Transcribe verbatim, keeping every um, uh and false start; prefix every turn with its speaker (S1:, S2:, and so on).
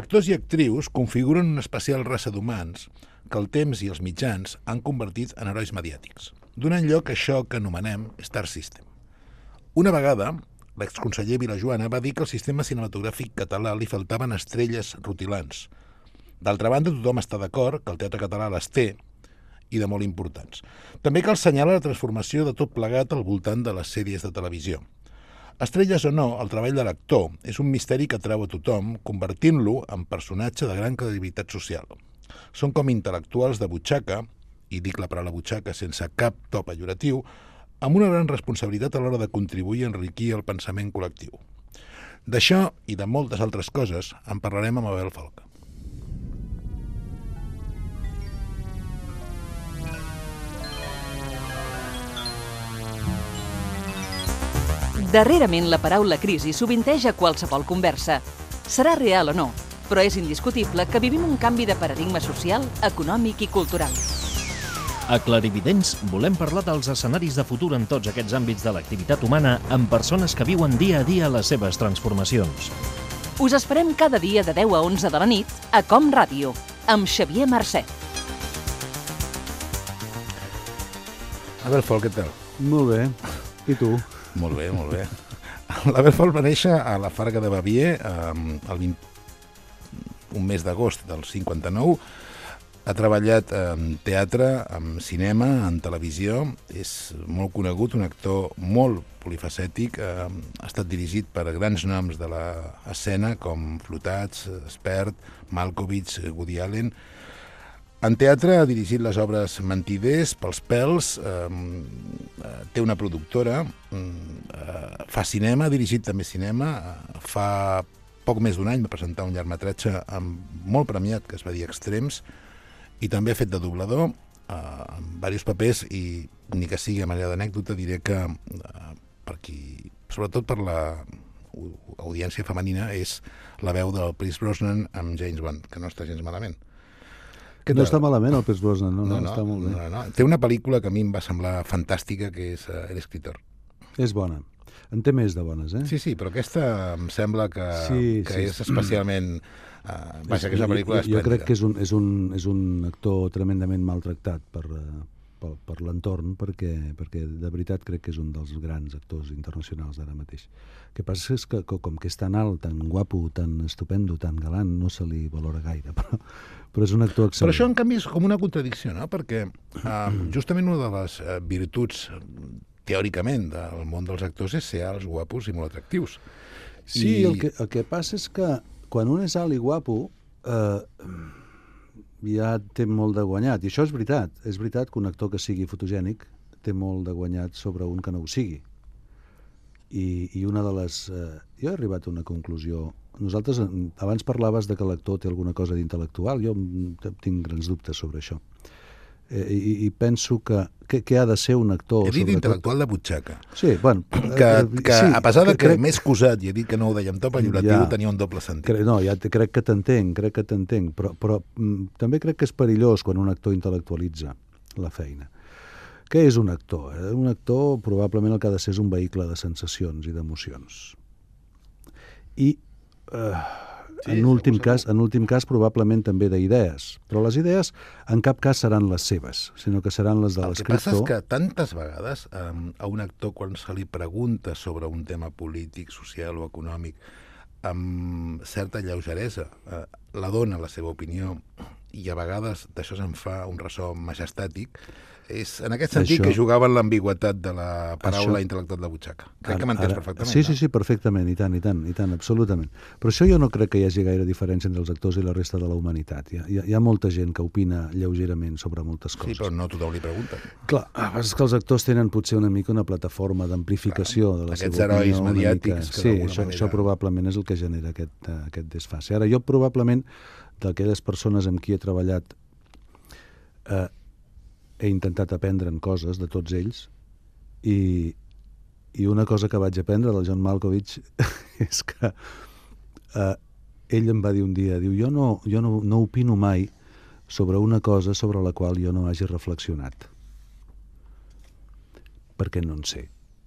S1: Actors i actrius configuren una especial raça d'humans que el temps i els mitjans han convertit en herois mediàtics, donant lloc a això que anomenem Star System. Una vegada, l'exconseller Vilajoana va dir que al sistema cinematogràfic català li faltaven estrelles rutilants. D'altra banda, tothom està d'acord que el teatre català les té, i de molt importants. També cal assenyalar la transformació de tot plegat al voltant de les sèries de televisió. Estrelles o no, el treball de l'actor és un misteri que atrau a tothom, convertint-lo en personatge de gran credibilitat social. Són com intel·lectuals de butxaca, i dic la paraula butxaca sense cap to pejoratiu, amb una gran responsabilitat a l'hora de contribuir a enriquir el pensament col·lectiu. D'això i de moltes altres coses en parlarem amb Abel Folch.
S2: Darrerament la paraula crisi sovinteja qualsevol conversa. Serà real o no, però és indiscutible que vivim un canvi de paradigma social, econòmic i cultural.
S3: A Clarividents volem parlar dels escenaris de futur en tots aquests àmbits de l'activitat humana amb persones que viuen dia a dia les seves transformacions.
S2: Us esperem cada dia de deu a onze de la nit a Com Ràdio, amb Xavier Marcet.
S1: Abel Folch, què tal?
S4: Molt bé. I tu?
S1: Molt bé, molt bé. L'Abel Folch va néixer a la Farga de Bavier el vint... un mes d'agost del cinquanta-nou. Ha treballat en teatre, en cinema, en televisió. És molt conegut, un actor molt polifacètic. Ha estat dirigit per grans noms de l'escena com Flotats, Espert, Malkovich, Woody Allen. En teatre ha dirigit les obres Mentiders, Pels pèls, eh, té una productora, eh, fa cinema, ha dirigit també cinema, eh, fa poc més d'un any va presentar un llargmetratge molt premiat que es va dir Extrems, i també ha fet de doblador eh, en diversos papers, i ni que sigui a manera d'anècdota diré que eh, per qui, sobretot per la audiència femenina, és la veu del Pierce Brosnan amb James Bond, que no està gens malament.
S4: No està malament el Pierce Brosnan, no, no,
S1: no, no,
S4: està molt bé.
S1: No, no. Té una pel·lícula que a mi em va semblar fantàstica, que és uh, El escritor.
S4: És bona. En té més de bones, eh?
S1: Sí, sí, però aquesta em sembla que,
S4: sí,
S1: que
S4: sí,
S1: és especialment... Uh, vaja, que és una pel·lícula
S4: esplèndida. Jo crec que és un, és, un, és un actor tremendament maltractat per, per, per l'entorn, perquè, perquè de veritat crec que és un dels grans actors internacionals d'ara mateix. El que passa és que com que és tan alt, tan guapo, tan estupendo, tan galant, no se li valora gaire, però, però és un actor excel·lent.
S1: Però això, en canvi, és com una contradicció, no? Perquè uh, justament una de les uh, virtuts, teòricament, del món dels actors és ser alts, guapos i molt atractius.
S4: Sí,
S1: I...
S4: el, que, el que passa és que quan un és alt i guapo, eh, ja té molt de guanyat. I això és veritat. És veritat que un actor que sigui fotogènic té molt de guanyat sobre un que no ho sigui. I, i una de les... Eh, jo he arribat a una conclusió. Nosaltres, abans parlaves de que l'actor té alguna cosa d'intel·lectual. Jo tinc grans dubtes sobre això. Eh, i, I penso que... Què ha de ser un actor?
S1: He dit intel·lectual de butxaca.
S4: Sí, bueno...
S1: Que, que
S4: sí,
S1: a pesar de que
S4: crec...
S1: m'he excusat i he dit que no ho deia amb to pejoratiu, ja, tenia un doble sentit.
S4: Cre... No, ja te, crec que t'entenc, crec que t'entenc, però, però mm, també crec que és perillós quan un actor intel·lectualitza la feina. Què és un actor? Eh? Un actor probablement el que ha de ser és un vehicle de sensacions i d'emocions. I... Eh... Sí, en últim cas, en últim cas, probablement també d'idees. Però les idees en cap cas seran les seves, sinó que seran les de l'escriptor.
S1: El que passa és que tantes vegades um, a un actor, quan se li pregunta sobre un tema polític, social o econòmic, amb certa lleugeresa, uh, la dona la seva opinió, i a vegades d'això se'n fa un ressò majestàtic, és en aquest sentit això... que jugaven l'ambigüetat de la paraula això... intel·lectual de butxaca. Crec ara, que m'entens perfectament.
S4: Sí, sí, sí, perfectament, i tant, i tant, i tant, absolutament. Però això jo no crec que hi hagi gaire diferència entre els actors i la resta de la humanitat. Hi ha, hi ha molta gent que opina lleugerament sobre moltes coses.
S1: Sí, però no tothom li pregunta.
S4: Clar, és que els actors tenen potser una mica una plataforma d'amplificació de la seva opinió.
S1: Aquests herois mediàtics.
S4: Sí, això, manera... això probablement és el que genera aquest, uh, aquest desfase. Ara, jo probablement, d'aquelles persones amb qui he treballat, eh, he intentat aprendre'n coses de tots ells, i, i una cosa que vaig aprendre del John Malkovich és que eh, ell em va dir un dia, diu, jo, no, jo no, no opino mai sobre una cosa sobre la qual jo no hagi reflexionat, perquè no en sé.